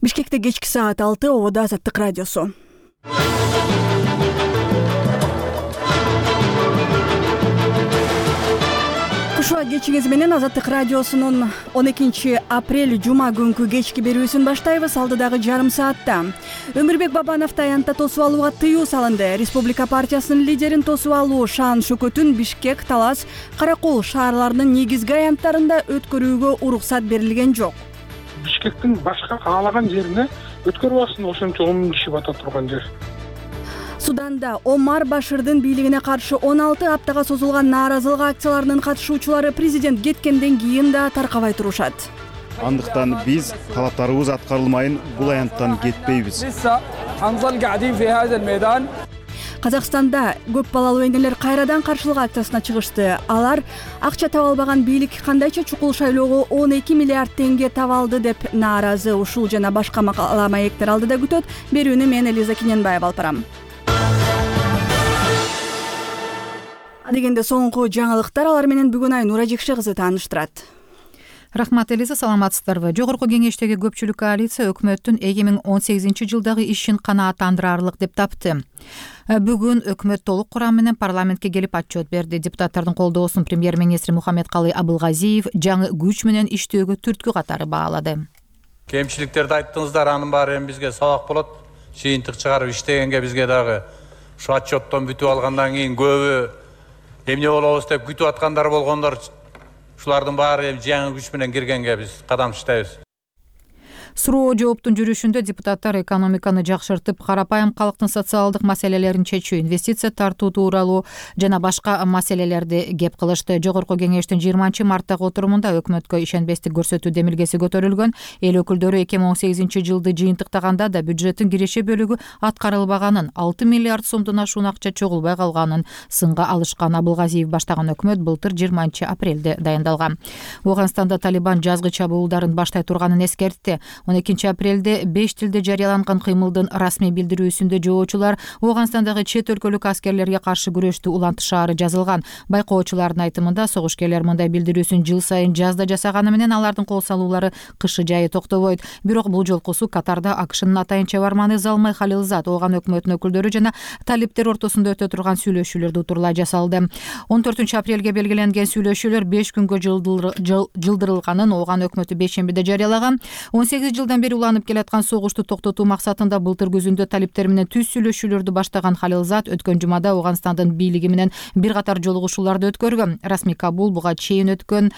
Бишкекте кечки саат 6, Ободо Азаттык радиосу. Кушуа кечиңиз менен Азаттык радиосунун 12 апрель жума күнкү кечки берүүсүн баштайбыз. Алдыдагы жарым саатта Өмүрбек Бабановду аянтта тосуп алууга тыюу салынды. Республика партиясынын лидерин тосуп алуу Шаан Шөкөтүн Бишкек, Талас, Каракол шаарларынын негизги аянттарында өткөрүүгө уруксат берилген жок. Бишкектин башка каалаган жерине өткөрүп алсын, ошончо 10 000 киши бата турган жер. Суданда Омар Баширдин бийлигине каршы 16 аптага созулган нааразылык акцияларынын катышуучулары президент кеткенден кийин да таркабай турушат. Андыктан биз талаптарыбыз аткарылмайын бул аянттан кетпейбиз. Казакстанда көп балалуу энелер кайрадан каршылык акциясына чыгышты. Алар акча таба албаган бийлик кандайча чукул шайлоого 12 миллиард теңге таба алды деп нааразы. Ушул жана башка макала маектер алдыда күтөт. Берүүнү мен Элиза Киненбаева алып барам. Дегенде соңку жаңылыктар, алар менен бүгүн Айнура Жекше кызы тааныштырат. Рахмат Элиза, саламатсыздарбы? Жогорку кеңештеги көпчүлүк коалиция өкмөттүн 2018-жылдагы ишин канааттандырарлык деп тапты. Бүгүн өкмөт толук курам менен парламентке келип отчет берди. Депутаттардын колдоосун премьер-министри Мухаммедкалый Абылгазиев жаңы күч менен иштөөгө түрткү катары баалады. Кемчиликтерди айттыңыздар, анын баары эми бизге сабак болот. Жыйынтык чыгарып иштегенге бизге дагы ушу отчеттон бүтүп алгандан кийин көбү эмне болобуз деп күтүп аткандар болгондор, ушулардын баары эми жаңы күч менен киргенге биз кадам таштайбыз. Суроо жооптун жүрүшүндө депутаттар экономиканы жакшыртып, карапайым калктын социалдык маселелерин чечүү, инвестиция тартуу тууралуу жана башка маселелерди кеп кылышты. Жогорку кеңештин 20-марттагы отурумунда өкмөткө ишенбестик көрсөтүү демилгеси көтөрүлгөн. Эл өкүлдөрү 2018-жылды жыйынтыктаганда да бюджеттин киреше бөлүгү аткарылбаганын, 6 миллиард сомдон ашуун акча чогулбай калганын сынга алышкан. Абылгазиев баштаган өкмөт былтыр 20 апрелде дайындалган. Ооганстанда Талибан жазгы чабуулдарын баштай турганын эскертти. 12 апрелде 5 тилде жарыяланган кыймылдын расмий билдирүүсүндө жоочулар Ооганстандагы чет өлкөлүк аскерлерге каршы күрөштү улантышаары жазылган. Байкоочулардын айтымында согушкерлер мындай билдирүүсүн жыл сайын жазда жасаганы менен алардын кол салуулары кышы жайы токтобойт. Бирок бул жолкусу Катарда АКШнын атайын чабарманы Залмай Халилзад ооган өкмөттүн өкүлдөрү жана талиптер ортосунда өтө турган сүйлөшүүлөрдү утурлай жасалды. 14 апрелге белгиленген сүйлөшүүлөр 5 күнгө жылдырылганын ооган өкмөтү бейшембиде жарыялаган. 18 жылдан бери уланып келаткан согушту токтотуу максатында былтыр күзүндө талиптер менен түз сүйлөшүүлөрдү баштаган Халилзад өткөн жумада Ооганстандын бийлиги менен бир катар жолугушууларды өткөргөн. Расмий Кабул буга чейин өткөн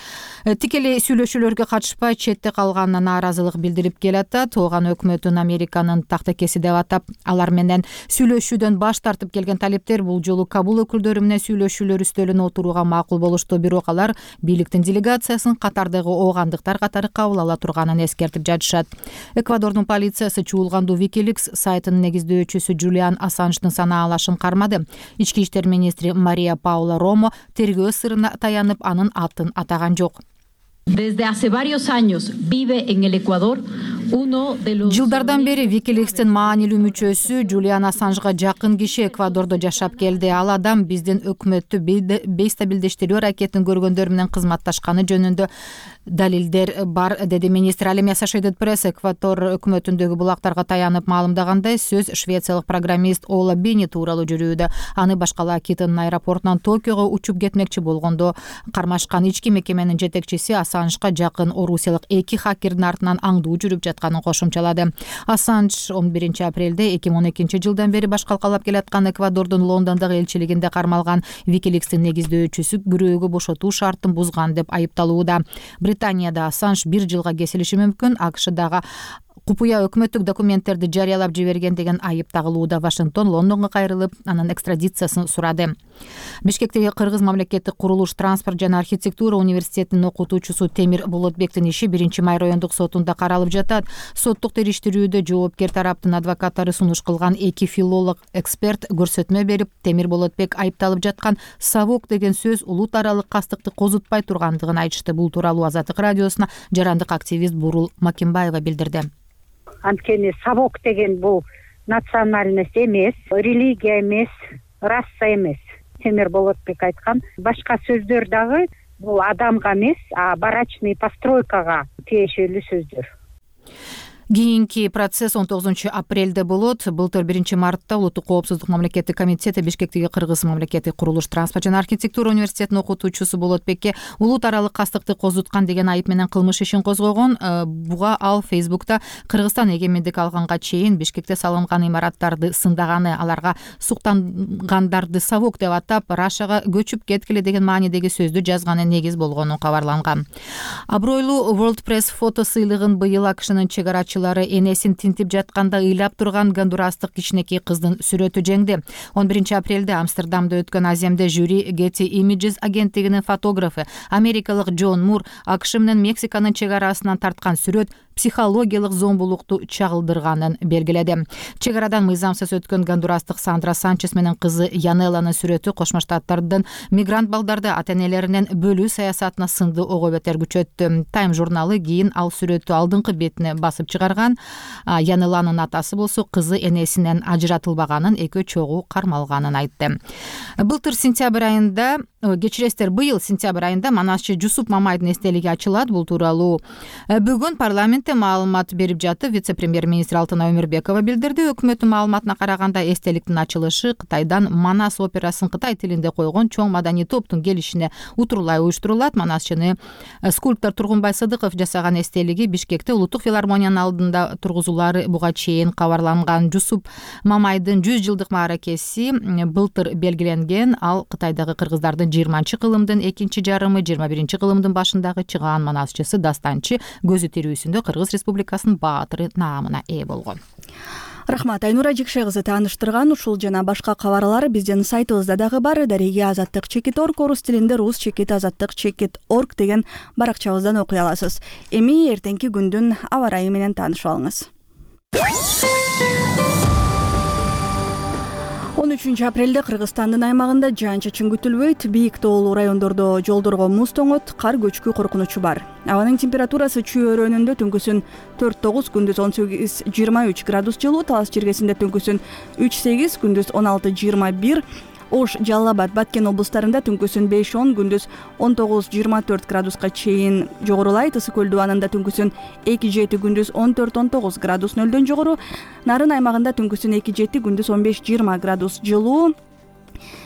тикелей сүйлөшүүлөргө катышпай четте калганына нааразылык билдирип келатат. Ооган өкмөтүн Американын тактакеси деп атап, алар менен сүйлөшүүдөн баш тартып келген талиптер бул жолу Кабул өкүлдөрү менен сүйлөшүүлөр үстөлүнө отурууга макул болушту. Бирок алар бийликтин делегациясын Катардагы оогандыктар катары кабыл ала турганын эскертип жатышат. Эквадордун полициясы чуулгандуу Wikileaks сайтынын негиздөөчүсү Джулиан Ассанждын санаалашын кармады. Ички иштер министри Мария Паула Ромо тергөө сырына таянып, анын атын атаган жок. Desde hace varios años vive en el Ecuador uno de los Жылдардан бери Wikileaks'тин маанилүү мүчөсү Джулиан Ассанжга жакын киши Эквадордо жашап келди. Ал адам биздин өкмөттү бейстабилдештирүү аракетин көргөндөр менен кызматташканы жөнүндө далилдер бар, деди министр. Ал эми Associated Press Эквадор өкмөтүндөгү булактарга таянып маалымдагандай, сөз швециялык программист Ола Бини тууралуу жүрүүдө. Аны башкалаа Китонун аэропортунан Токиого учуп кетмекчи болгондо кармашкан. Ички мекеменин жетекчиси Ассанжга жакын орусиялык 2 хакердин артынан аңдуу жүрүп жатканын кошумчалады. Ассанж 11 апрелде 2012 жылдан бери баш калкалап келаткан Эквадордун Лондондогу элчилигинде кармалган Wikileaks'тин негиздөөчүсү күрөөгө бошотуу шартын бузган деп айыпталууда. Британияда Ассанж 1 жылга кесилиши мүмкүн. АКШдагы купуя өкмөттүк документтерди жарыялап жиберген деген айып тагылууда. Вашингтон Лондонго кайрылып, анын экстрадициясын сурады. Бишкектеги Кыргыз мамлекеттик курулуш, транспорт жана архитектура университетинин окутуучусу Темир Болотбектин иши 1-май райондук сотунда каралып жатат. Соттук териштирүүдө жоопкер тараптын адвокаттары сунуш кылган 2 филолог эксперт көрсөтмө берип, Темир Болотбек айыпталып жаткан сабок деген сөз улут аралык кастыкты козутпай тургандыгын айтышты. Бул тууралуу Азаттык радиосуна жарандык активист Бурул Макимбаева билдирди. Анткени сабок деген бул национальность эмес, религия эмес, раса эмес. Темир Болотбек айткан. Башка сөздөр дагы бул адамга эмес, а барачный постройкага тиешелүү сөздөр. Кийинки процесс 19 апрелде болот. Былтыр 1 мартта Улуттук коопсуздук мамлекеттик комитети Бишкектеги Кыргыз мамлекеттик курулуш, транспорт жана архитектура университетинин окутуучусу Болотбекке улут аралык кастыкты козуткан деген айып менен кылмыш ишин козгогон. Буга ал Фейсбукта Кыргызстан эгемендик алганга чейин Бишкекте салынган имараттарды сындаганы, аларга суктангандарды совок деп атап, Рашага көчүп кеткиле деген маанидеги сөздү жазганы негиз болгону кабарланган. Абройлуу World Press фото сыйлыгын быйыл АКШнын чек арачылары энесин тинтип жатканда ыйлап турган гондурастык кичинекей кыздын сүрөтү жеңди. 11 апрелде Амстердамда өткөн аземде жюри Getty Images агенттигинин фотографы америкалык Джон Мур АКШ менен Мексиканын чек арасынан тарткан сүрөт психологиялык зомбулукту чагылдырганын белгиледи. Чек арадан мыйзамсыз өткөн гондурастык Сандра Санчес менен кызы Янелланын сүрөтү Кошмо Штаттардын мигрант балдарды ата-энелеринен бөлүү саясатына сынды ого бетер күчөттү. Time журналы кийин ал сүрөттү алдыңкы бетине басып чыгарган. Янелланын атасы болсо кызы энесинен ажыратылбаганын, экөө чогуу кармалганын айтты. Былтыр сентябрь айында, быйыл сентябрь айында Манасчы Жусуп Мамайдын эстелиги ачылат. Бул тууралуу бүгүн парламентте маалымат берип жатып, вице-премьер-министр Алтынай Өмүрбекова билдирди. Өкмөттүн маалыматына караганда эстеликтин ачылышы Кытайдан Манас операсын кытай тилинде койгон чоң маданий топтун келишине утурлай уюштурулат. Манасчыны скульптор Тургунбай Сыдыков жасаган эстелиги Бишкекте Улуттук филармониянын алдында тургузулары буга чейин кабарланган. Жусуп Мамайдын 100 жылдык мааракеси былтыр белгиленген. Ал Кытайдагы кыргыздардын 20-кылымдын экинчи жарымы, 21-кылымдын башындагы чыгаан манасчысы, дастанчы, көзү тирүүсүндө Кыргыз Республикасынын баатыры наамына ээ болгон. Рахмат, Айнура Жикше кызы тааныштырган. Ушул жана башка кабарлар биздин сайтыбызда дагы бар. Дареге Азаттык.org, орус тилинде rus.azаттык.org деген баракчабыздан окуй аласыз. Эми эртеңки күндүн аба ырайы менен таанышып алыңыз. 13 апрелде Кыргызстандын аймагында жаан-чачын күтүлбөйт. Бийик тоолуу райондордо жолдорго муз тоңот, кар көчкү коркунучу бар. Абанын температурасы чүй өрөөнүндө түнкүсүн 4-9, күндүз 18-23 градус жылуу, Талас жергесинде түнкүсүн 3-8, күндүз 16-21, Ош, Жалал Абад, Баткен облустарында түнкүсүн 5-10, күндүз 19-24 градуска чейин жогорулайт. Ысык көл дубанында түнкүсүн 2-7, күндүз 14-19 градус нөлдөн жогору. Нарын аймагында түнкүсүн 2-7, күндүз 15-20 градус жылуу.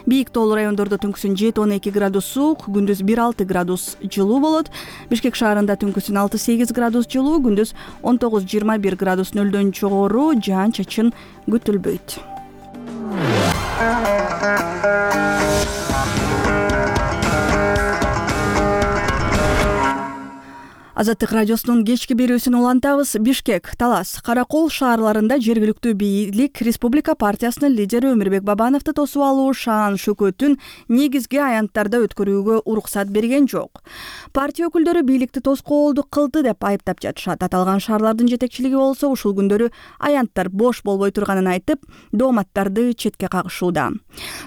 Бийик тоолуу райондордо түнкүсүн 7-12 градус суук, күндүз 1-6 градус жылуу болот. Бишкек шаарында түнкүсүн 6-8 градус жылуу, күндүз 19-21 градус нөлдөн жогору. Жаан-чачын күтүлбөйт. Азаттык радиосунун кечки берүүсүн улантабыз. Бишкек, Талас, Каракол шаарларында жергиликтүү бийлик Республика партиясынын лидери Өмүрбек Бабановду тосуп алуу шаан шөкөтүн негизги аянттарда өткөрүүгө уруксат берген жок. Партия өкүлдөрү бийликти тоскоолдук кылды деп айыптап жатышат. Аталган шаарлардын жетекчилиги болсо ушул күндөрү аянттар бош болбой турганын айтып, дооматтарды четке кагышууда.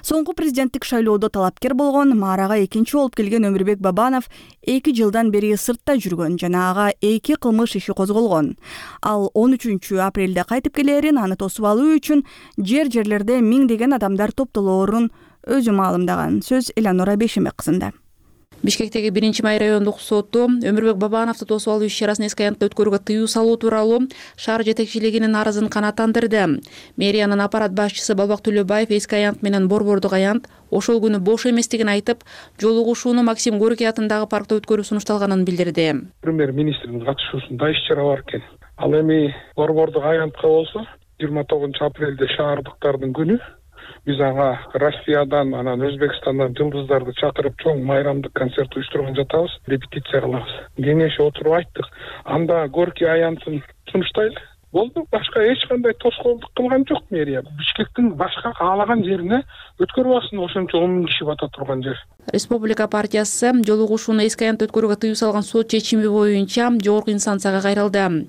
Соңку президенттик шайлоодо талапкер болгон, маарага экинчи болуп келген Өмүрбек Бабанов 2 жылдан бери сыртта жүргөн жана ага 2 кылмыш иши козголгон. Ал 13 апрелде кайтып келерин, аны тосуп алуу үчүн жерлерде миңдеген адамдар топтолоорун өзү маалымдаган. Сөз Эланора Бешемек кызында. Бишкектеги 1-Май райондук соту Өмүрбек Бабановду тосуп алуу иш-чарасын эски аянтта өткөрүүгө тыюу салуу тууралуу шаар жетекчилигинин арызын канааттандырды. Мэриянын аппарат башчысы Балбак Төлөбаев эски аянт менен борбордук аянт ошол күнү бош эместигин айтып, жолугушууну Максим Горький атындагы паркта өткөрүү сунушталганын билдирди. Премьер-министрдин катышуусунда иш-чара бар экен. Ал эми борбордук аянтка болсо 29 апрелде шаардыктардын күнү. Биз ага Россиядан, анан Өзбекстандан жылдыздарды чакырып чоң майрамдык концерт уюштурган жатабыз, репетиция кылабыз. Кеңешип отуруп айттык. Анда Горький аянтын сунуштайлы. Болду, башка эч кандай тоскоолдук кылган жок мэрия. Бишкектин башка каалаган жерине өткөрүп алсын, ошончо 10 000 киши бата турган жер. Республика партиясы жолугушууну эски аянтта өткөрүүгө тыюу салган сот чечими боюнча жогорку инстанцияга кайрылды.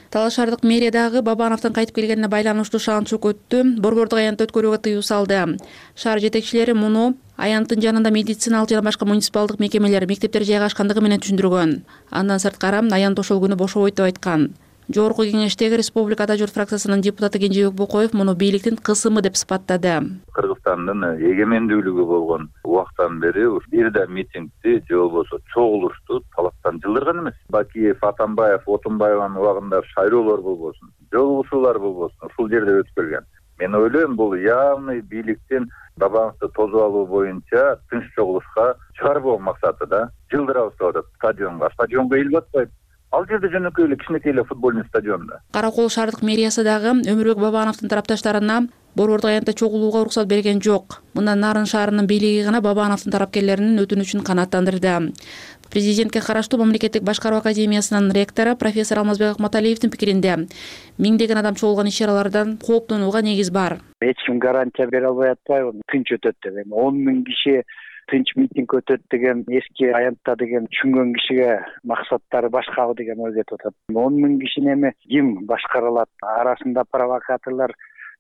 Талас шаардык мэрия дагы Бабановдун кайтып келгенине байланыштуу шаан шөкөттү борбордук аянтта өткөрүүгө тыюу салды. Шаар жетекчилери муну аянттын жанында медициналык жана башка муниципалдык мекемелер, мектептер жайгашкандыгы менен түшүндүргөн. Андан сырткары аянт ошол күнү бошобойт деп айткан. Жогорку кеңештеги Республика Ата журт фракциясынын депутаты Кенжебек Бокоев муну бийликтин кысымы деп сыпаттады. Кыргызстандын эгемендүүлүгү болгон убактан бери бир да митингди же болбосо чогулушту талаптан жылдырган эмес. Бакиев, Атамбаев, Отунбаеванын убагында шайлоолор болбосун, жолугушуулар болбосун, ушул жерде өткөргөн. Мен ойлойм, бул явный бийликтин Бабановду тосуп алуу боюнча тынч чогулушка чыгарбоо максаты да. Жылдырабыз деп атат стадионго эл батпайт. Ал жерде жөнөкөй эле кичинекей эле футбольный стадионда. Кара Кол шаардык мэриясы дагы Өмүрбек Бабановдун тарапташтарына борбордук аянтта чогулууга уруксат берген жок. Мындан Нарын шаарынын бийлиги гана Бабановдун тарапкерлеринин өтүнүчүн канааттандырды. Президентке караштуу мамлекеттик башкаруу академиясынын ректору профессор Алмазбек Акматалиевдин пикиринде миңдеген адам чогулган иш-чаралардан кооптонууга негиз бар. Эч ким гарантия бере албай атпайбы, тынч өтөт деп. 10 000 киши тынч митинг өтөт деген эски аянтта деген түшүнгөн кишиге максаттары башкабы деген ой кетип атат. 10 000 кишини эми ким башкара алат? Арасында провокаторлор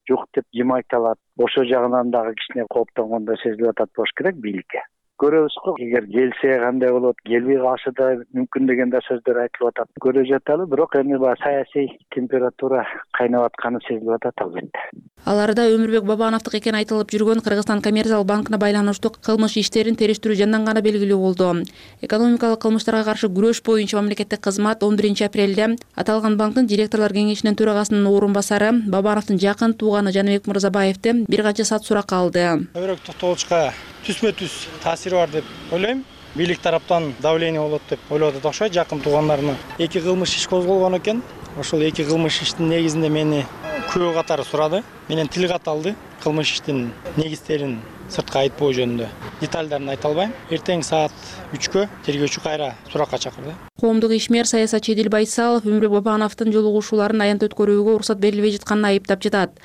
жок деп ким айта алат? Ошол жагынан дагы кичине кооптонгондой сезилип атат болуш керек бийликке. Көрөбүз го, эгер келсе кандай болот, келбей калышы да мүмкүн деген да сөздөр айтылып атат. Көрө жаталы, бирок эми баягы саясий температура кайнап атканы сезилип атат албетте. Аларда Өмүрбек Бабановдук экени айтылып жүргөн Кыргызстан коммерциялык банкына байланыштуу кылмыш иштерин териштирүү жанданганы белгилүү болду. Экономикалык кылмыштарга каршы күрөш боюнча мамлекеттик кызмат 11 апрелде аталган банктын директорлор кеңешинин төрагасынын орун басары Бабановдун жакын тууганы Жаныбек Мырзабаевден бир канча саат суракка алды. Көбүрөөк токтолушка түзмө-түз таасири бар деп ойлойм. Бийлик тараптан давление болот деп ойлоп атат окшойт. Жакын туугандарына 2 кылмыш иш козголгон экен. Ошол 2 кылмыш иштин негизинде мени күбө катары сурады. Менен тил кат алды. Кылмыш иштин негизтерин сыртка айтпоо жөнүндө детальдарын айта албайм. Эртең саат 3кө тергөөчү кайра суракка чакырды. Коомдук ишмер саясатчы Эдил Байсалов Өмүрбек Бабановдун жолугушууларын аянт өткөрүүгө уруксат берилбей жатканын айыптап жатат.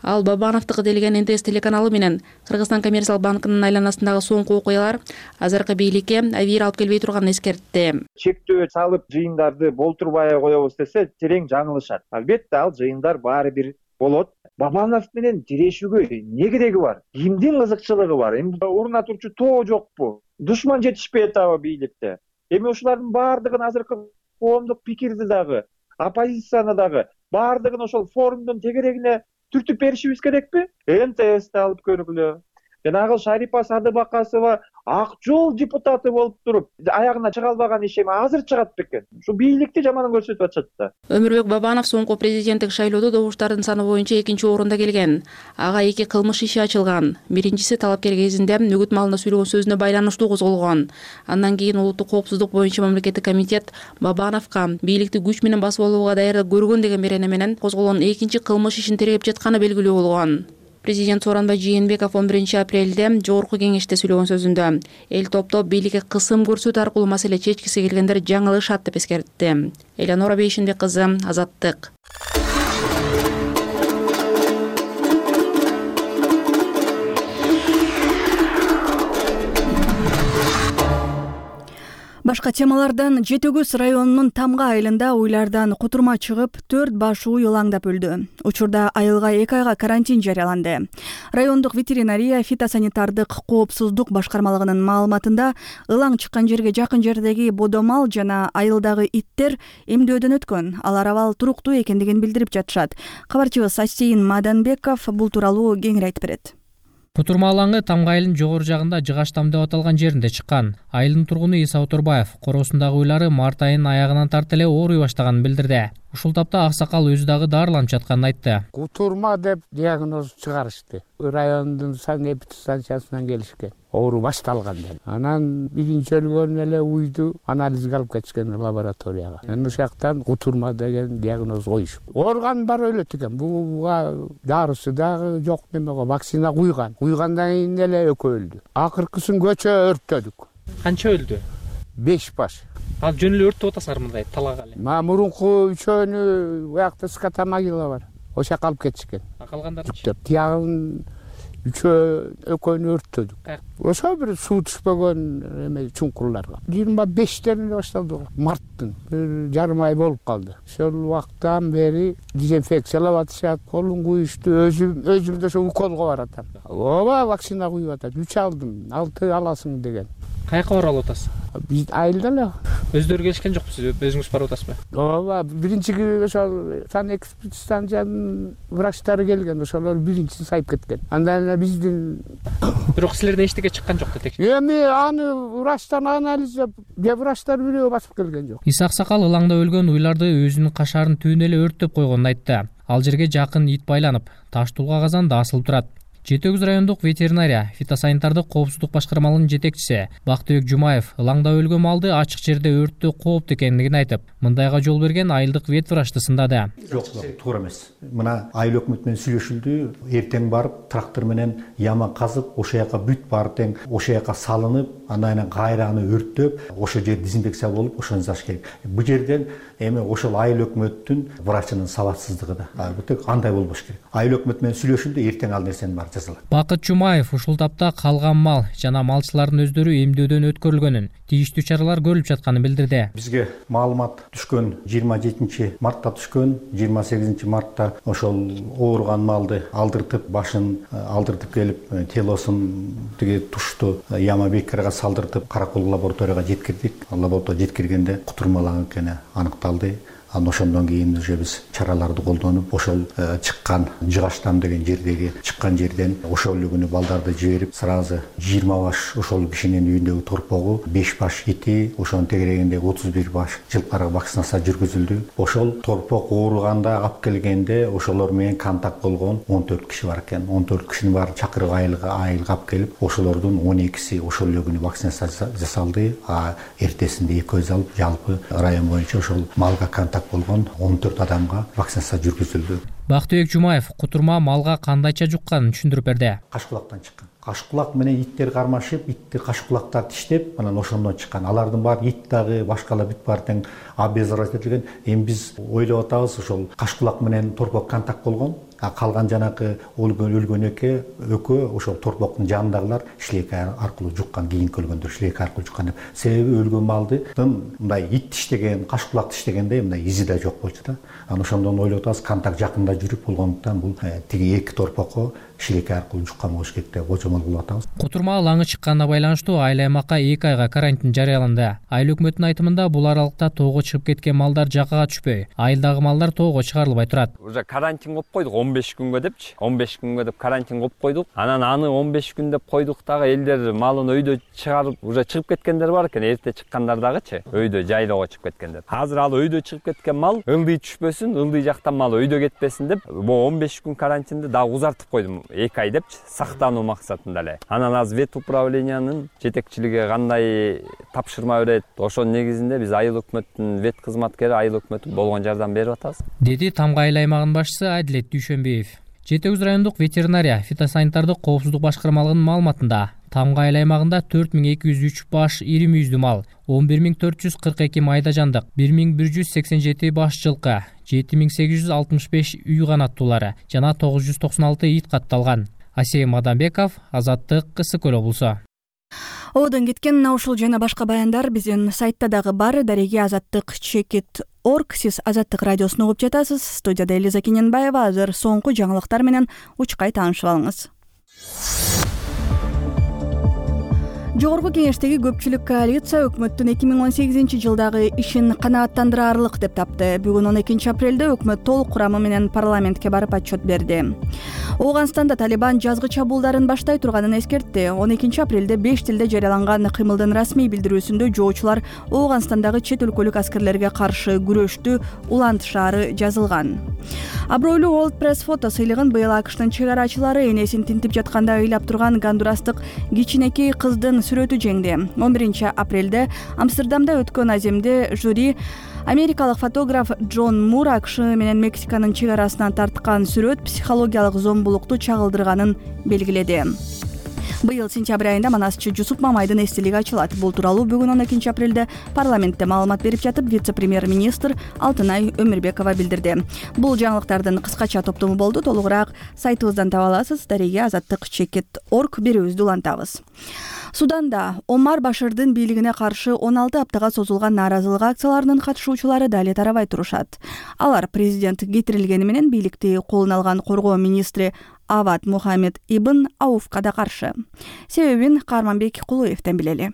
Ал Бабановдук делген НТС телеканалы менен Кыргызстан коммерциялык банкынын айланасындагы соңку окуялар азыркы бийликке авир алып келбей турганын эскертти. Чектөө салып жыйындарды болтурбай коебуз десе терең жаңылышат. Албетте ал жыйындар баары бир болот. Бабанов менен тирешүүгө эмне кереги бар? Кимдин кызыкчылыгы бар? Эми уруна турчу тоо жокпу? Душман жетишпей атабы бийликте? Эми ушулардын баардыгын азыркы коомдук пикирди дагы, оппозицияны дагы баардыгын ошол форумдун тегерегине түртүп беришибиз керекпи? НТСти алып көргүлө. Жанагы Шарипа Садыбакасова ак жол депутаты болуп туруп, аягына чыга албаган иши азыр чыгат бекен. Ушу бийликти жаман көрсөтүп атышат да. Өмүрбек Бабанов соңку президенттик шайлоодо добуштардын саны боюнча 2-орунда келген. Ага 2 кылмыш иши ачылган. Биринчиси талапкер кезинде үгүт маалында сүйлөгөн сөзүнө байланыштуу козголгон. Андан кийин улуттук коопсуздук боюнча мамлекеттик комитет Бабановго бийликти күч менен басып алууга даярдык көргөн деген берене менен козголгон экинчи кылмыш ишин тергеп жатканы белгилүү болгон. Президент Сооронбай Жээнбеков 11 апрелде жогорку кеңеште сүйлөгөн сөзүндө эл топтоп бийликке кысым көрсөтүү аркылуу маселе чечкиси келгендер жаңылышат деп эскертти. Элянора Бейшинбек кызы, Азаттык. Башка темалардан Жетөгүз районунун Тамга айылында уйлардан кутурма чыгып, 4 баш уй ылаңдап өлдү. Учурда айылга 2 айга карантин жарыяланды. Райондук ветеринария фитосанитардык коопсуздук башкармалыгынын маалыматында ылаң чыккан жерге жакын жердеги бодомал жана айылдагы иттер эмдөөдөн өткөн. Алар абал туруктуу экендигин билдирип жатышат. Кабарчыбыз Асейин Маданбеков бул тууралуу кеңири айтып берет. Кутурма алаңы Тамга айылынын жогору жагында Жыгачтам деп аталган жеринде чыккан. Айылдын тургуну Иса Отурбаев короосундагы уйлары март айынын аягынан тарта эле ооруй баштаганын билдирди. Ушул тапта аксакал өзү дагы дарыланып жатканын айтты. Кутурма деп диагноз чыгарышты. Райондун санэпид станциясынан келишкен. Оору башталган деп. Анан биринчи өлгөн эле уйду анализге алып кетишкен лабораторияга. Ошол жактан кутурма деген диагноз коюшуп. Орган бар өлөт экен. Буга дарысы дагы жок немеге вакцина куйган. Куйгандан кийин эле экөө өлдү. Акыркысын көчө өрттөдүк. Канча өлдү? 5 баш. Ал жөн эле өрттөп атасыңар мындай талага эле. Мурунку үчөөнү буякта ската могила бар. Ошол жака алып кетишкен. Калгандарын тиягын экөөнү өрттөдүк. Ошо бир суу түшпөгөн эме чуңкурларга. 25-тен башталды. Марттын 1,5 ай болуп калды. Ошол убактан бери дезинфекциялап атышат, колун куюшту, өзүмдө ошо уколго баратам. Ооба вакцина куюп атат. 3 алдым, 6 аласың деген. Каяка барып атасыз? Биз айылда эле. Өздөрү келишкен жокпу, сиз өзүңүз барып атасызбы? Ооба, биринчи ошол санэкспорт станциянын врачтары келген, ошолор биринчисин сайып кеткен. Андан эле биздин Бирок силерден эчтеке чыккан жок да текшерүү. Эми аны врачтан анализ врачтар бирөө басып келген жок. Иса Аксакал ылаңда өлгөн уйларды өзүнүн кашарын түбүнө эле өрттөп койгонун айтты. Ал жерге жакын ит байланып, таш тулга казанда асылып турат. Жети Өгүз райондук ветеринария фитосанитардык коопсуздук башкармалыгынын жетекчиси Бактыбек Жумаев ылаңда өлгөн малды ачык жерде өрттөө кооптуу экендигин айтып, мындайга жол берген айылдык вет врачты сындады. Жок, туура эмес. Мына айыл өкмөтү менен сүйлөшүлдү. Эртең барып трактор менен яма казып, ошол жака бүт барып тең ошол жака салынып, андан кийин кайра аны өрттөп, ошол жер дезинфекция болуп, ошону жасаш керек. Бул жерден эми ошол айыл өкмөттүн врачынын сабатсыздыгы да. Бул тек андай болбош керек. Айыл өкмөтү менен сүйлөшүлдү, эртең ал нерсени бар жасалат. Бакыт Жумаев ушул тапта калган мал жана малчылардын өздөрү эмдөөдөн өткөрүлгөнүн, тийиштүү чаралар көрүлүп жатканын билдирди. Бизге маалымат түшкөн 27 мартта түшкөн, 28 мартта ошол ооруган малды алдыртып, башын алдыртып келип, телосун тиги тушту яма бекерге салдыртып, Каракол лабораторияга жеткирдик. Лабораторияга жеткиргенде кутурмаланган экени аныкталды. Анан ошондон кийин уже биз чараларды колдонуп, ошол чыккан Жыгаштам деген жердеги чыккан жерден ошол күнү балдарды жиберип, сразу 20 баш ошол кишинин үйүндөгү торпогу, 5 баш ити, ошонун тегерегинде 31 баш жылкарга вакцинация жүргүзүлдү. Ошол торпок ооруганда алып келгенде ошолор менен контакт болгон 14 киши бар экен. 14 кишинин баары чакырып айылга алып келип, ошолордун 12си ошол күнү вакцинация жасалды. Эртесинде 2 алып, жалпы район боюнча ошол малга контакт болгон 14 адамга вакцинация жүргүзүлдү. Бактыбек Жумаев кутурма малга кандайча жукканын түшүндүрүп берди. Кашкулактан чыккан. Кашкулак менен иттер кармашып, итти кашкулактар тиштеп, анан ошондон чыккан. Алардын баары ит дагы, башкалар бүт баары тең обеззаразителген. Эми биз ойлоп атабыз, ошол кашкулак менен торпок контакт болгон. Калган жанакы өлгөн экөө ошол торпоктун жанындагылар шлейка аркылуу жуккан, кийинки өлгөндөр шлейка аркылуу жуккан деп. Себеби өлгөн малдын мындай ит тиштеген, кашкулак тиштегенде мындай изи да жок болчу да. Анан ошондон ойлоп атабыз, контакт жакында жүрүп болгондуктан бул тиги эки торпокко шлейка аркылуу жуккан болуш керек деп божомол кылып атабыз. Кутурма алаңы чыкканына байланыштуу айыл аймакка 2 айга карантин жарыяланды. Айыл өкмөтүнүн айтымында бул аралыкта тоого чыгып кеткен малдар жакага түшпөй, айылдагы малдар тоого чыгарылбай турат. Уже карантин коюп койдук 15 күнгө депчи. 15 күнгө деп карантин коюп койдук. Анан аны 15 күн деп койдук дагы элдер малын өйдө чыгарып, уже чыгып кеткендер бар экен. Эрте чыккандар дагычы, өйдө жайлоого чыгып кеткендер. Азыр ал өйдө чыгып кеткен мал ылдый түшпөсүн, ылдый жактан мал өйдө кетпесин деп, бу 15 күн карантинди дагы узартып койдум. 2 ай депчи, сактануу максатында эле. Анан аз вет управлениянын жетекчилиги кандай тапшырма берет, ошонун негизинде биз айыл өкмөттүн вет кызматкери, айыл өкмөтү болгон жардам берип атабыз. Деди Тамга айыл аймагынын башчысы Адилет Дүйшөнбиев. Жети Өгүз райондук ветеринария фитосанитардык коопсуздук башкармалыгынын маалыматында Тамга айыл аймагында 4203 баш ири мүйүздүү мал, 11442 майда жандык, 1187 баш жылкы, 7865 үй канаттуулары жана 996 ит катталган. Асей Мадамбеков, Азаттык, Кысыкөл облусу. Одон кеткен ушул жана башка баяндар биздин сайтта дагы бар. Дареги Азаттык.org. Сиз Азаттык радиосун угуп жатасыз. Студияда Элиза Кененбаева. Азыр соңку жаңылыктар менен учкай таанышып алыңыз. Жогорку кеңештеги көпчүлүк коалиция өкмөттүн 2018 жылдагы ишин канааттандыраарлык деп тапты. Бүгүн 12 апрелде өкмөт толук курамы менен парламентке барып отчет берди. Ооганстанда Талибан жазгы чабуулдарын баштай турганын эскертти. 12 апрелде 5 тилде жарыяланган кыймылдын расмий билдирүүсүндө жоочулар Ооганстандагы чет өлкөлүк аскерлерге каршы күрөштү улантышаары жазылган. Абройлуу World Press фото сыйлыгын быйыл АКШтын чегарачылары энесин тинтип жатканда ыйлап турган гондурастык кичинекей кыздын сүрөтү жеңди. 11 апрелде Амстердамда өткөн аземде жюри америкалык фотограф Джон Мур АКШ менен Мексиканын чегарасынан тарткан сүрөт психологиялык зомбулукту чагылдырганын белгиледи. Быйыл сентябрь айында манасчы Жусуп Мамайдын эстелиги ачылат. Бул тууралуу бүгүн 12 апрелде парламентте маалымат берип жатып, вице-премьер-министр Алтынай Өмүрбекова билдирди. Бул жаңылыктардын кыскача топтому болду. Толугураак сайтыбыздан таба аласыз. Дареги Азаттык.org берүүбүздү улантабыз. Суданда Омар Баширдин бийлигине каршы 16 аптага созулган нааразылык акцияларынын катышуучулары дали тарабай турушат. Алар президент кетирилгени менен бийликти колуна алган коргоо министри Авад Мухаммед Ибн Ауфка да каршы. Себебин Карманбек Кулуевден билели.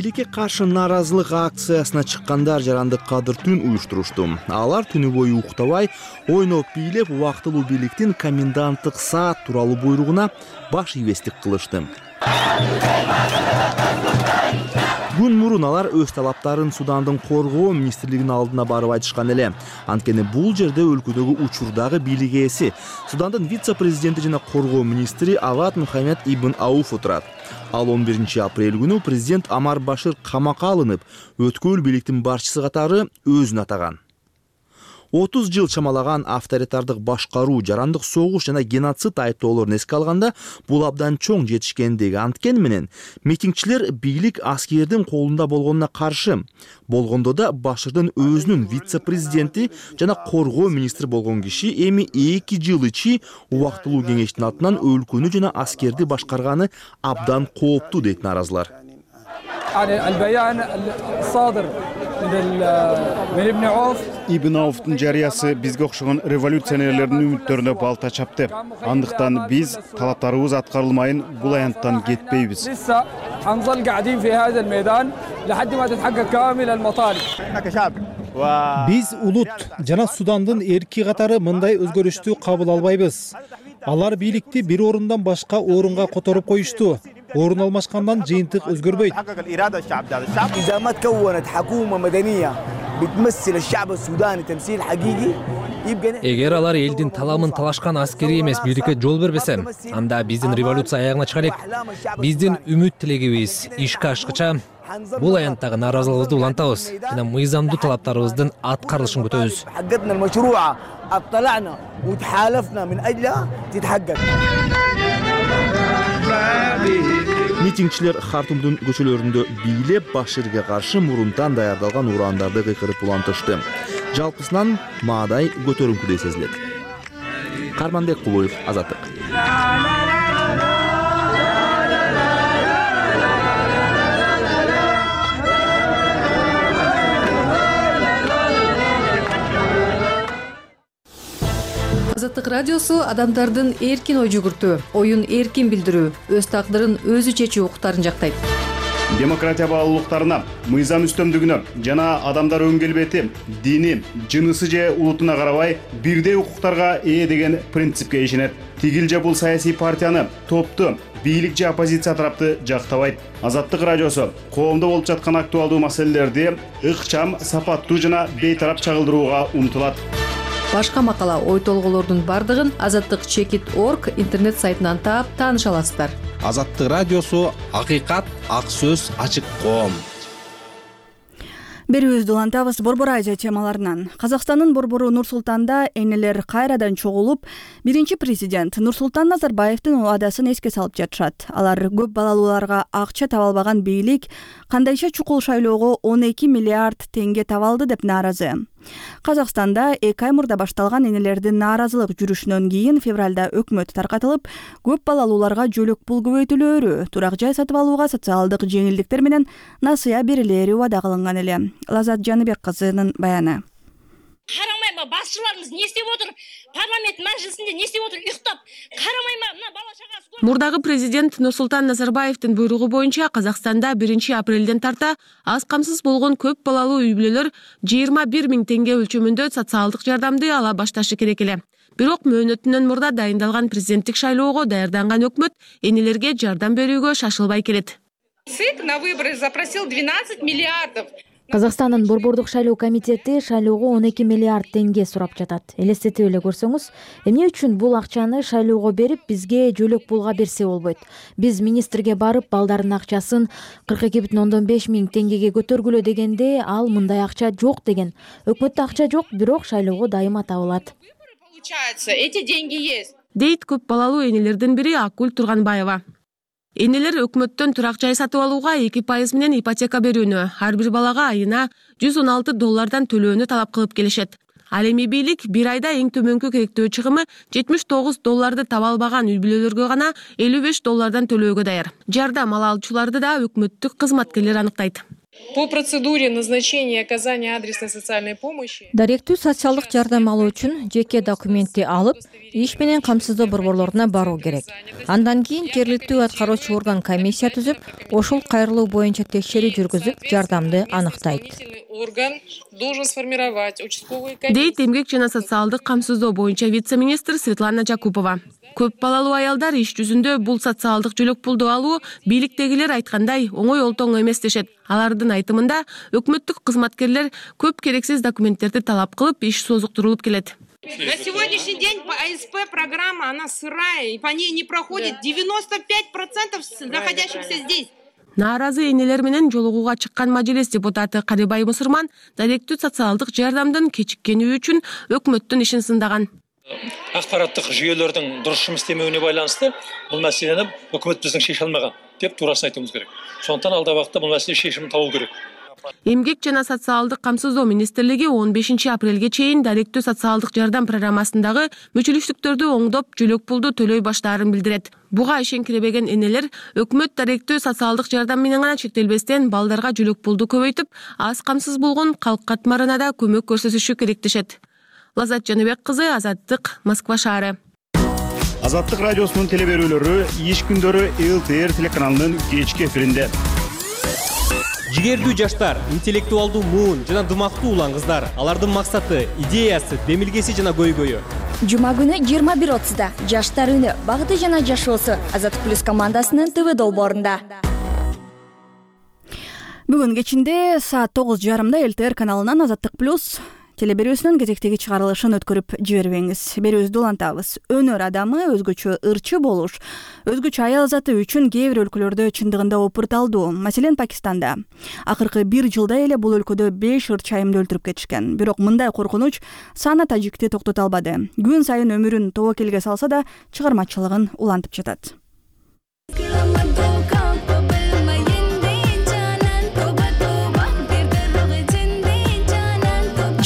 бийликке каршы нааразылык акциясына чыккандар жарандык кадыр түн уюштурушту. Алар түнү бою уктабай, ойноп бийлеп, убактылуу бийликтин коменданттык саат тууралуу буйругуна баш ийбестик кылышты. Күн мурун алар өз талаптарын Судандын коргоо министрлигинин алдына барып айтышкан эле. Анткени бул жерде өлкөдөгү учурдагы бийлик ээси, Судандын вице-президенти жана коргоо министри Авад Мухаммед ибн Ауф отурат. Ал 11 апрель күнү президент Амар Башир камакка алынып, өткөл бийликтин башчысы катары өзүн атаган. 30 жыл чамалаган авторитардык башкаруу, жарандык согуш жана геноцид айыптоолорун эске алганда, бул абдан чоң жетишкендиги анткени менен митингчилер бийлик аскердин колунда болгонуна каршы. Болгондо да Баширдин өзүнүн вице-президенти жана коргоо министри болгон киши эми 2 жыл ичи убактылуу кеңештин атынан өлкөнү жана аскерди башкарганы абдан кооптуу дейт нааразылар. Ибн Ауфтун жарыясы бизге окшогон революционерлердин үмүттөрүнө балта чапты. Андыктан биз талаптарыбыз аткарылмайын бул аянттан кетпейбиз. Биз улут жана Судандын эрки катары мындай өзгөрүштү кабыл албайбыз. Алар бийликти бир орундан башка орунга которуп коюшту. Орун алмашкандан жыйынтык өзгөрбөйт. Эгер алар элдин таламын талашкан аскери эмес бийликке жол бербесе, анда биздин революция аягына чыга элек. Биздин үмүт тилегибиз ишке ашкыча бул аянттагы нааразылыгыбызды улантабыз жана мыйзамдуу талаптарыбыздын аткарылышын күтөбүз. Митингчилер Хартумдун көчөлөрүндө бийлеп, Баширге каршы мурунтан даярдалган урандарды кыйкырып улантышты. Жалпысынан маадай көтөрүңкүдөй сезилет. Карманбек Кулуев, Азаттык. Азаттык радиосу адамдардын эркин ой жүгүртүү, оюн эркин билдирүү, өз тагдырын өзү чечүү укуктарын жактайт. Демократия баалуулуктарына, мыйзам үстөмдүгүнө жана адамдар өң келбети, дини, жынысы же улутуна карабай бирдей укуктарга ээ деген принципке ишенет. Тигил же бул саясий партияны, топту, бийлик же оппозиция тарапты жактабайт. Азаттык радиосу коомдо болуп жаткан актуалдуу маселелерди ыкчам, сапаттуу жана бейтарап чагылдырууга умтулат. Башка макала, ой толголордун бардыгын azattik.org интернет сайтынан таап тааныша аласыздар. Азаттык радиосу акыйкат, ак сөз, ачык коом. Берүүбүздү улантабыз Борбор Азия темаларынан. Казакстандын борбору Нур-Султанда энелер кайрадан чогулуп, биринчи президент Нурсултан Назарбаевдин убадасын эске салып жатышат. Алар көп балалууларга акча таба албаган бийлик кандайча чукул шайлоого 12 миллиард теңге таба алды деп нааразы. Казакстанда 2 ай мурда башталган энелердин нааразылык жүрүшүнөн кийин февралда өкмөт таркатылып, көп балалууларга жөлөк пул көбөйтүлөөрү, турак жай сатып алууга социалдык жеңилдиктер менен насыя берилери убада кылынган эле. Лазат Жаныбек кызынын баяны. Карамайма, башчыларыбыз не істеп отур? Парламент мажлисинде не істеп отур? Уктап, карамайма, мына бала чагасы. Мурдагы президент Нурсултан Назарбаевдин буйругу боюнча Казакстанда 1 апрелден тарта аз камсыз болгон көп балалуу үй бүлөлөр 21 000 теңге өлчөмүндө социалдык жардамды ала башташы керек эле. Бирок мөөнөтүнөн мурда дайындалган президенттик шайлоого даярданган өкмөт энелерге жардам берүүгө шашылбай келет. ЦИК на выборы запросил 12 миллиардов. Казакстандын борбордук шайлоо комитети шайлоого 12 миллиард теңге сурап жатат. Элестетип эле көрсөңүз, эмне үчүн бул акчаны шайлоого берип, бизге жөлөк пулга берсе болбойт? Биз министрге барып, балдардын акчасын 42,5 миң теңгеге көтөргүлө дегенде, ал мындай акча жок деген. Өкмөттө акча жок, бирок шайлоого дайыма табылат. Получается, эти деньги есть. Дейт көп балалуу энелердин бири Акгүл Турганбаева. Энелер өкмөттөн турак жай сатып алууга 2% менен ипотека берүүнү, ар бир балага айына $116 төлөөнү талап кылып келишет. Ал эми бийлик 1 айда эң төмөнкү керектөө чыгымы $79 таба албаган үй бүлөлөргө гана $55 төлөөгө даяр. Жардам ала алчуларды да өкмөттүк кызматкерлер аныктайт. По процедуре назначения и оказания адресной социальной помощи даректүү социалдык жардам алуу үчүн жеке документти алып, иш менен камсыздоо борборлоруна баруу керек. Андан кийин жергиликтүү аткаруучу орган комиссия түзүп, ошол кайрылуу боюнча текшерүү жүргүзүп, жардамды аныктайт. Орган должен сформировать участковый комиссию. Дейт эмгек жана социалдык камсыздоо боюнча вице-министр Светлана Жакупова. Көп балалуу аялдар иш жүзүндө бул социалдык жөлөк пулду алуу бийликтегилер айткандай оңой олтоң эмес дешет. Алардын айтымында өкмөттүк кызматкерлер көп керексиз документтерди талап кылып, иш созуктурулуп келет. На сегодняшний день по АСП программа, она сырая, и по ней не проходит 95% находящихся здесь. Нааразы энелер менен жолугууга чыккан мажилис депутаты Карибай Мусурман даректүү социалдык жардамдын кечиккени үчүн өкмөттүн ишин сындаган. Акпараттык жүйөлөрдүн дурус иш иштемеуне байланыштуу бул маселени өкмөт биздин шеше алмаган деп туурасын айтуубуз керек. Сондуктан алда убакта бул маселе чечимин табуу керек. Эмгек жана социалдык камсыздоо министрлиги 15 апрелге чейин даректүү социалдык жардам программасындагы мүчүлүштүктөрдү оңдоп, жөлөк пулду төлөй баштаарын билдирет. Буга ишенкиребеген энелер өкмөт даректүү социалдык жардам менен гана чектелбестен балдарга жөлөк пулду көбөйтүп, аз камсыз болгон калк катмарына да көмөк көрсөтүшү керек дешет. Лазат Жаныбек кызы, Азаттык, Москва шаары. Азаттык радиосунун телеберүүлөрү иш күндөрү ЛТР телеканалынын кечки эфиринде. Жигердүү жаштар, интеллектуалдуу муун жана дымактуу улан кыздар. Алардын максаты, идеясы, демилгеси жана көйгөйү. Жума күнү 21:30 Жаштар үнү, багыты жана жашоосу Азаттык плюс командасынын ТВ долбоорунда. Бүгүн кечинде саат 9:30 ЛТР каналынан Азаттык плюс телеберүүсүнүн кезектеги чыгарылышын өткөрүп жибербеңиз. Берүүбүздү улантабыз. Өнөр адамы өзгөчө ырчы болуш, өзгөчө аял заты үчүн кээ бир өлкөлөрдө чындыгында опурталдуу. Маселен, Пакистанда. Акыркы 1 жылда эле бул өлкөдө 5 ырчы айымды өлтүрүп кетишкен. Бирок мындай коркунуч Сана Тажикти токтото албады. Күн сайын өмүрүн тобокелге салса да, чыгармачылыгын улантып жатат.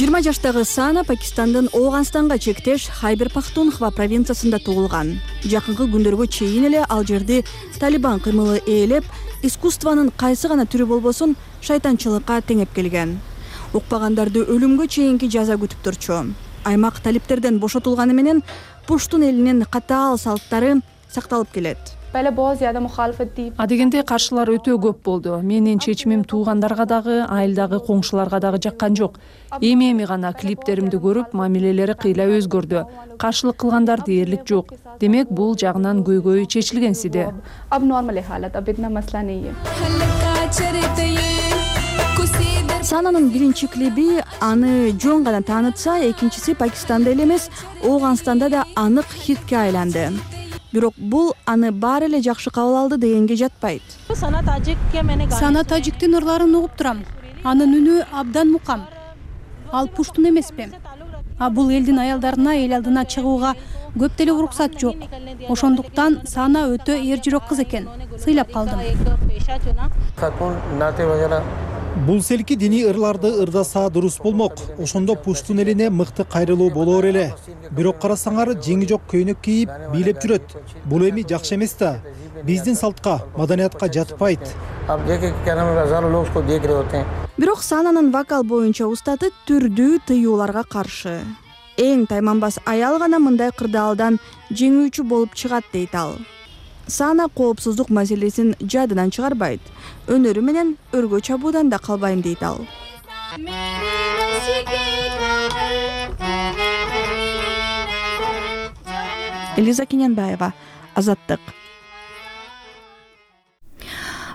20 жаштагы Сана Пакистандын Ооганстанга чектеш Хайбер Пахтунхва провинциясында туулган. Жакынкы күндөргө чейин эле ал жерди Талибан кыймылы ээлеп, искусствонун кайсы гана түрү болбосун шайтанчылыкка теңеп келген. Укпагандарды өлүмгө чейинки жаза күтүп турчу. Аймак талиптерден бошотулганы менен Пуштун элинин катаал салттары сакталып келет. Адегенде каршылар өтө көп болду. Менин чечимим туугандарга дагы, айылдагы коңшуларга дагы жаккан жок. Эми гана клиптеримди көрүп, мамилелери кыйла өзгөрдү. Каршылык кылгандар дээрлик жок. Демек, бул жагынан көйгөй чечилгенсиде. Сананын биринчи клиби аны жөн гана таанытса, экинчиси Пакистанда эле эмес, Ооганстанда да анык хитке айланды. Бирок бул аны баары эле жакшы кабыл алды дегенге жатпайт. Сана Тажиктин ырларын угуп турам. Анын үнү абдан мукам. Ал пуштун эмеспи. Бул элдин аялдарына эл алдына чыгууга көп деле уруксат жок. Ошондуктан Сана өтө эр жүрөк кыз экен. Сыйлап калдым. Бул селки диний ырларды ырдаса дурус болмок. Ошондо пуштун элине мыкты кайрылуу болоор эле. Бирок карасаңар жеңи жок көйнөк кийип бийлеп жүрөт. Бул эми жакшы эмес да. Биздин салтка, маданиятка жатпайт. Бирок Сананын вокал боюнча устаты түрдүү тыюуларга каршы. Эң тайманбас аял гана мындай кырдаалдан жеңүүчү болуп чыгат дейт ал. Сана коопсуздук маселесин жадынан чыгарбайт. Өнөрү менен өргө чабуудан да калбайм дейт ал. Элиза Кененбаева, Азаттык.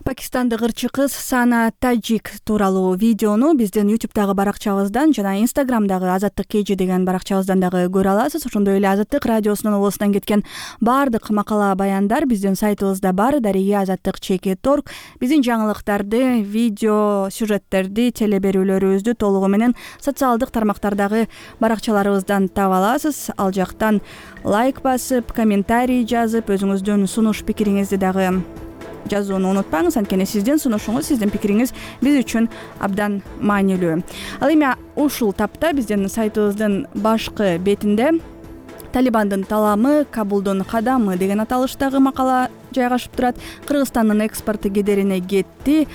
Пакистандык ырчы кыз Сана Таджик тууралуу видеону биздин YouTube'дагы баракчабыздан жана Instagram'дагы Азаттык KG деген баракчабыздан дагы көрө аласыз. Ошондой эле Азаттык радиосунун оозунан кеткен баардык макала баяндар биздин сайтыбызда бар. Дария Азаттык.org. Биздин жаңылыктарды, видео сюжеттерди, телеберүүлөрүбүздү толугу менен социалдык тармактардагы баракчаларыбыздан таба аласыз. Ал жактан лайк басып, комментарий жазып, өзүңүздүн сунуш пикириңизди дагы жазууну унутпаңыз, анткени сиздин сунушуңуз, сиздин пикириңиз биз үчүн абдан маанилүү. Ал эми ушул тапта биздин сайтыбыздын башкы бетинде Талибандын таламы, Кабулдун кадамы деген аталыштагы макала жайгашып турат. Кыргызстандын экспорту кедерине кетти.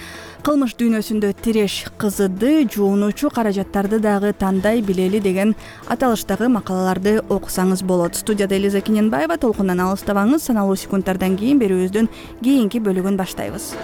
Кылмыш дүйнөсүндө тиреш кызыды, жуунуучу каражаттарды дагы тандай билели деген аталыштагы макалаларды окусаңыз болот. Студияда Элиза Кененбаева. Толкундан алыстабаңыз. Саналуу секундтардан кийин берүүбүздүн кийинки бөлүгүн баштайбыз.